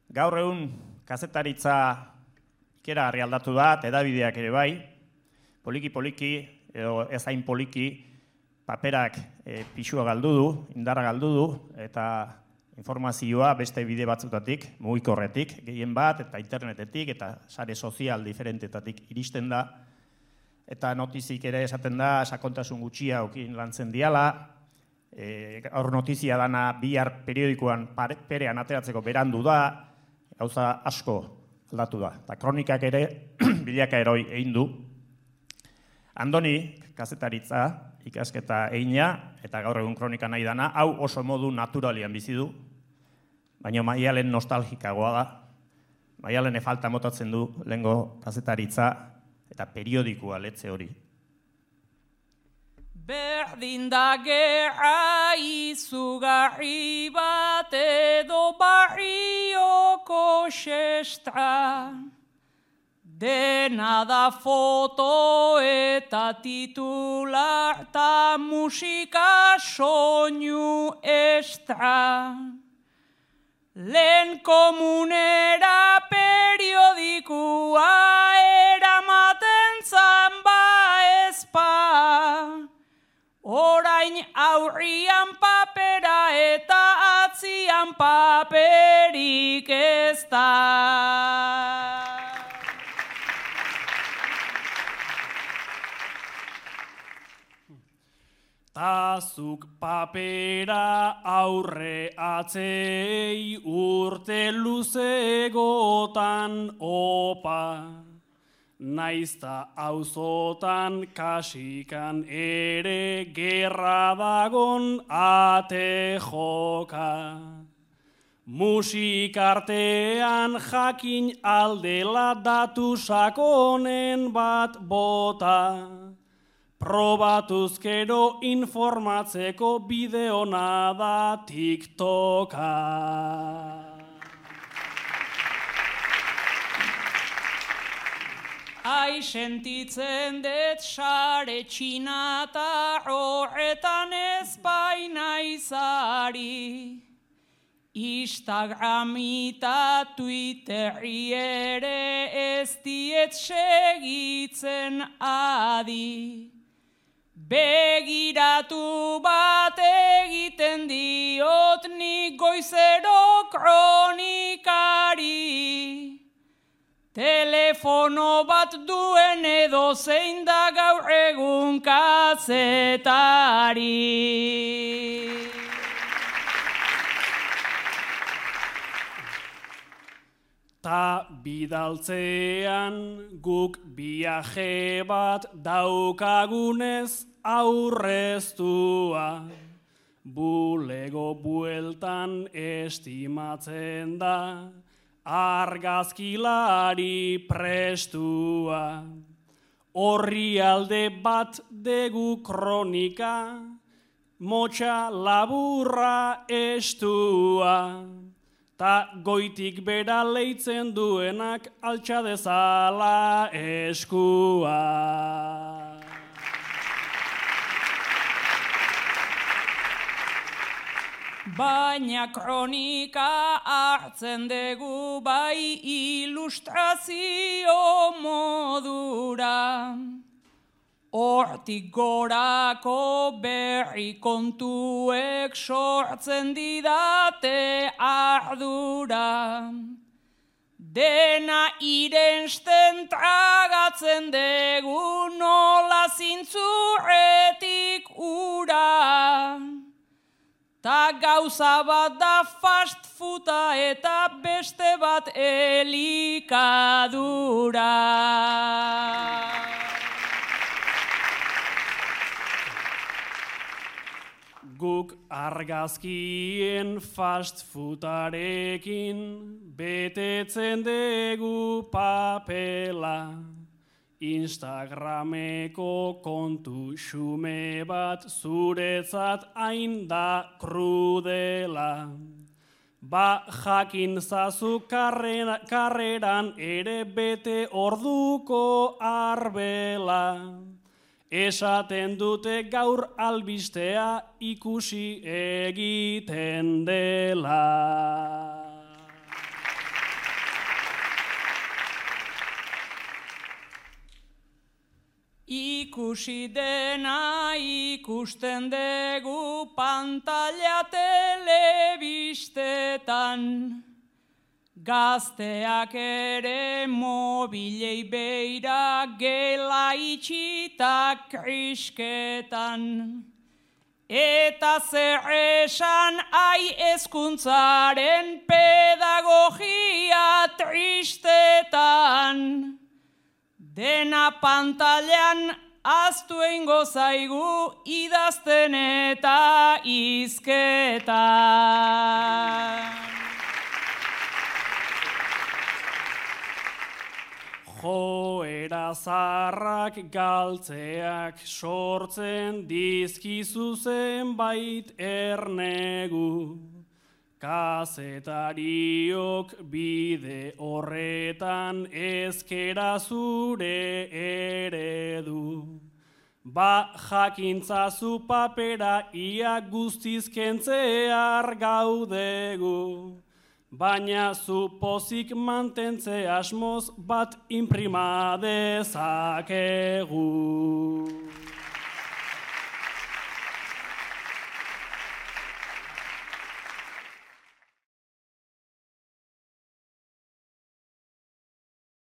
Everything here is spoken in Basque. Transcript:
Gaur egun kazetaritza ikeragarri aldatu da, hedabideak ere bai, poliki-poliki, edo ez hain poliki, paperak pisua galdu du, indarra galdu du, eta informazioa beste bide batzutatik, mugikorretik, gehien bat, eta internetetik, eta sare sozial diferentetatik iristen da, eta notizik ere esaten da, sakontasun gutxia okin lantzen diala, gaur notizia dana bihar periodikoan perean ateratzeko berandu da, gauza asko aldatu da. Eta kronikak ere bilaka eroi egin du. Andoni, kazetaritza, ikasketa egina, eta gaur egun kronika nahi dana, hau oso modu naturalian bizi du, baina Maialen nostalgikagoa da. Maialen falta motatzen du lehengo kazetaritza eta periodikoa letze hori. Berdin da gerra izugarri bat edo barrioko sestra. Dena da foto eta titular ta musika soinu estra. Lehen komunera periodikua eramaten zamba ezpa. Orain aurrian papera eta atzian paperik ez da. Tazuk papera aurre atzei urte luzegotan opa. Naizta auzotan kasikan ere gerra dagon ate joka. Musikartean jakin aldela datu sakonen bat bota. Probatuzkero informatzeko bideona da TikToka. Ai sentitzen dut sare txinata horretan ez baina izari. Instagrami eta Twitterri ere ez diet segitzen adi. Begiratu bat egiten diot nik goizero kronikari. Telefono bat duen edo zein da gaur egun kazetari. Ta bidaltzean guk viaje bat daukagunez aurreztua. Bulego bueltan estimatzen da argazkilari prestua. Orrialde bat degu kronika, motxa laburra estua. Ta goitik bera leitzen duenak altxa dezala eskua. Baina kronika hartzen dugu bai ilustrazio modura. Hortik gorako berri kontuek sortzen didate ardura. Dena irensten tragatzen dugu nola zintzurretik ura. Ta gauza bat da fast fooda eta beste bat elikadura. Guk argazkien fast foodarekin betetzen dugu papela. Instagrameko kontu xume bat zuretzat hain da krudela. Ba jakin zazu karreran ere bete orduko arbela. Esaten dute gaur albistea ikusi egiten dela. Ikusi dena ikusten dugu pantalla telebistetan. Gazteak ere mobilei beira gela itxita krisketan. Eta zer esan hezkuntzaren pedagogia tristetan. Dena pantailan ahaztu eingo zaigu idazten eta hizketan. Joera zaharrak galtzeak sortzen dizkizu zenbait ernegu. Kazetariok bide horretan ezkera zure eredu. Ba jakintzazu papera ia guztiz kentzear gaudegu. Baina zu pozik mantentze asmoz bat inprima dezakegu.